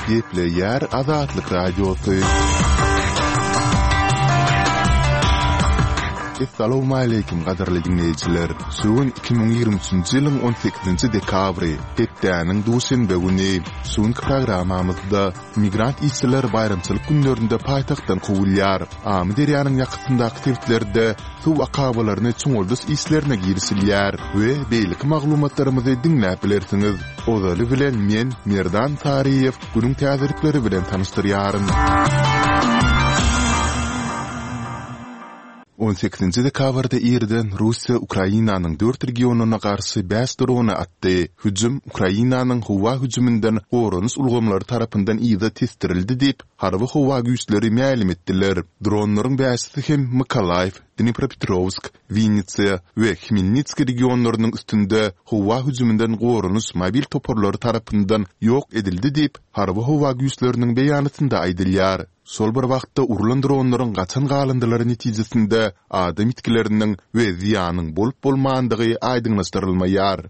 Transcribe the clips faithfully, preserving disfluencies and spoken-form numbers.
Gepleýär Azatlyk Radiosy. Essalawmaleýkim gadyrly diňleýjiler! Şu gün iki müň ýigrimi üçünji ýylyň on sekizinji dekabry, hepdäniň duşenbe güni. Şu günki programmamyzda migrant işçiler baýramçylyk günlerinde paýtagtdan kowulýar. Amyderýanyň ýakasyndaky sebitlerde suw akabalaryny çuňaldyş işlerine girişilýär we beýleki maglumatlarymyzy diňläp bilersiňiz. Ozaly bilen men, Merdan Saryýew, günüň täzelikleri bilen tanyşdyrýaryn. On sekizinji dekabrda irden Russiýa Ukrainanyň dört regionyna garşy bäş drony atdy. Hüjüm Ukrainanyň howa hüjüminden goranyş ulgamlary tarapyndan yza tesdirildi diýip, harby howa güýçleri mälim etdiler. Dronlaryň bäşisi hem Mykolaýiw, Dnipropetrowsk, Winnitsa we Hmelnitskiý regionlarynyň üstünde howa hüjüminden goranyş mobil toparlary tarapyndan ýok edildi diýip, harby howa güýçleriniň beýanatynda aýdylýar. Şol bir wagtda urlan dronlaryň gaçan galyndylary netijesinde adam ýitgileriniň we zyýanyň bolup-bolmandygy aýdyňlaşdyrylmaýar.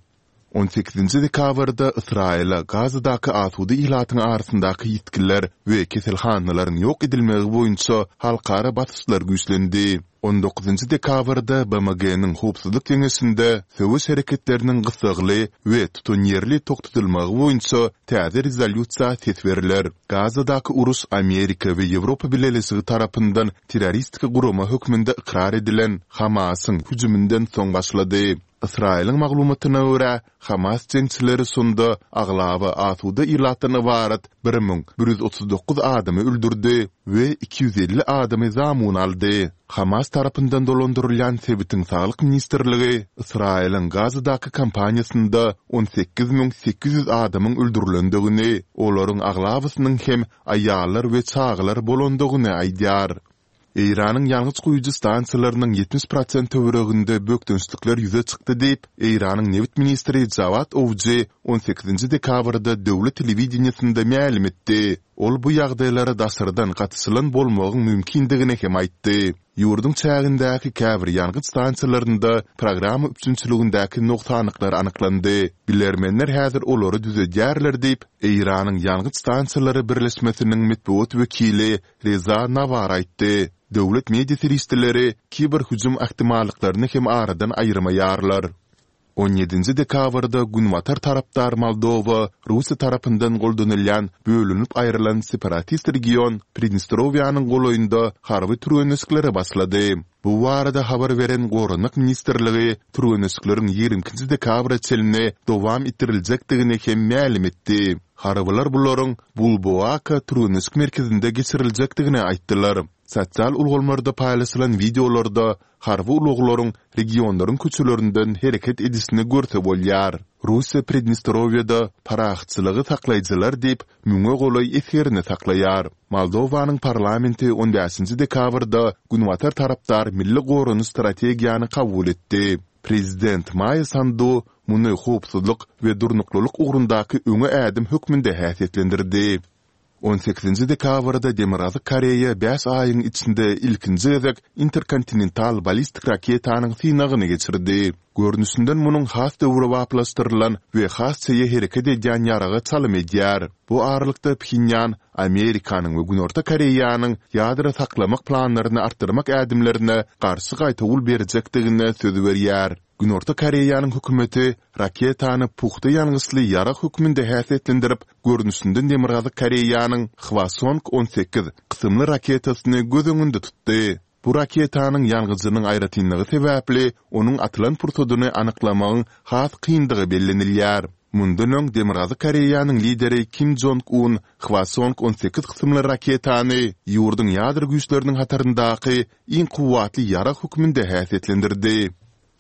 On sekizinji dekabrda Ysraýyla Gazadaky asuda ilatyň arasyndaky ýitgiler we keselhanalaryň ýok edilmegi boýunça halkara basyşlar güýçlendi. On dokuzynjy dekabrda BMG-niň Howpsuzlyk Geňeşinde söweş hereketleriniň gyssagly we tutanýerli togtadylmagy boýunça täze rezolýusiýa ses berler. Gazadaky uruş Amerika we Ýewropa Bileleşigi tarapyndan terroristik gurama hökmünde ykrar edilen Hamasyň hüjüminden soň başlady. Ysraýylyň maglumatyna görä, Hamas jeňçileri şonda aglaba asuda ilatdan ybarat bir müň bir ýüz otuz dokuz adamy öldürdi we iki ýüz elli adamy zamun aldy. Hamas tarapyndan dolandyrylýan sebitiň saglyk ministrligi Ysraýylyň Gazadaky kampaniýasynda on sekiz müň sekiz ýüz adamyň öldürilendigini, olaryň aglabasynyň hem aýallar we çagalar bolandygyny aýdýar. Eýranyň ýangyç guýujy stansiýalarynyň ýetmiş prosent töwereginde bökdençlikler ýüze çykdy diýip, Eýranyň nebit ministri Jawad Owji on sekizinji dekabrda döwlet telewideniýesinde mälim etdi. Ol bu ýagdaýlara daşardan gatyşylan bolmagyň mümkindigini hem aýtdy. Ýurduň çägindäki käbir ýangyç stansiýalarynda programma üpjünçiligindäki nogsanlyklar anyklandy. Bilermenler häzir olary düzedýärler diýip, Eýranyň ýangyç stansiýalary birleşmesiniň metbugat wekili Reza Nawar aýtdy. Döwlet media serişdeleri kiber hüjüm ähtimallyklaryny hem aradan aýyrmaýarlar. On ýedinji dekabrda günbatar tarapdar Moldowa Russiýa tarapyndan goldanylýan bölünip aýrylan separatist region Pridnestrowiýanyň golaýynda harby türgenleşiklere başlady. Bu barada habar beren Goranmak ministrligi türgenleşikleriň ýigrimi ikinji dekabra çenli dowam etdiriljekdigini hem mälim etdi. Harbylar bularyň Bulboaka türgenleşik merkezinde geçiriljekdigini aýtdylar. Sosial ulgamlarda paýlaşylan wideolarda harby ulaglaryň regionlaryň köçelerinden hereket edişini görse bolýar. Russiýa Pridnestrowiýada parahatçylygy saklaýjylar diýip, müňe golaý esgerini saklaýar. Moldowanyň parlamenti on bäşinji dekabrda Günbatar tarapdar milli goranyş strategiýany kabul etdi. Prezident Maýa Sandu muny howpsuzlyk we durnuklylyk ugrundaky öňe ädim hökmünde häsiýetlendirdi. On sekizinji dekabrda Demirgazyk Koreýa bäş aýyň içinde ilkinji gezek interkontinental ballistik raketanyň synagyny geçirdi. Görnüşinden munuň has döwrebaplaşdyrylan we has çeýe hereket edýän ýaraga çalym edýär. Bu aralykda Phenýan Amerikanyň we Günorta Koreýanyň ýadro saklamak planlaryny artdyrmak ädimlerine garşy gaýtawul berjekdigine söz berýär. Günorta Koreýanyň hökümeti raketany pugta ýangyçly ýarag hökmünde häsiýetlendirip, görnüşinden Demirgazyk Koreýanyň Hwasong on sekiz kysymly raketasyny göz öňünde tutdy. Bu raketanyň ýangyjynyň aýratynlygy sebäpli onuň atylan pursadyny anyklamagyň has kyndygy bellenilýär. Mundan öň Demirgazyk Koreýanyň lideri Kim Jong Un Hwasong on sekiz kysymly raketany ýurduň ýadro güýçleriniň hataryndaky iň kuwwatly ýarag hökmünde häsiýetlendirdi.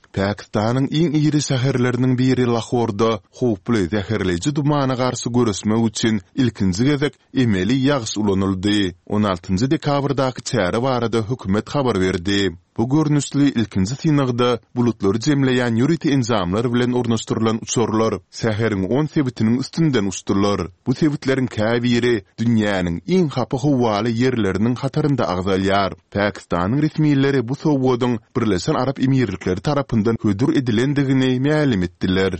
Pakistanyň iň iri şäherleriniň biri Lahorda howply zäherleýji dumana garşy göreşmek üçin ilkinji gezek emeli ýagyş ulanyldy. On altynjy dekabrdaky çäre barada hökümet habar berdi. Bu görnüşli ilkinji synagda bulutlary jemleýän ýörite enjamlar bilen ornaşdyrylan uçarlar şäheriň on sebitiniň üstünden uçdular. Bu sebitleriň käbiri dünýäniň iň hapa howaly ýerleriniň hatarynda agzalýar. Pakistanyň resmileri bu sowgadyň Birleşen Arap Emirlikleri tarapyndan hödür edilendigini mälim etdiler.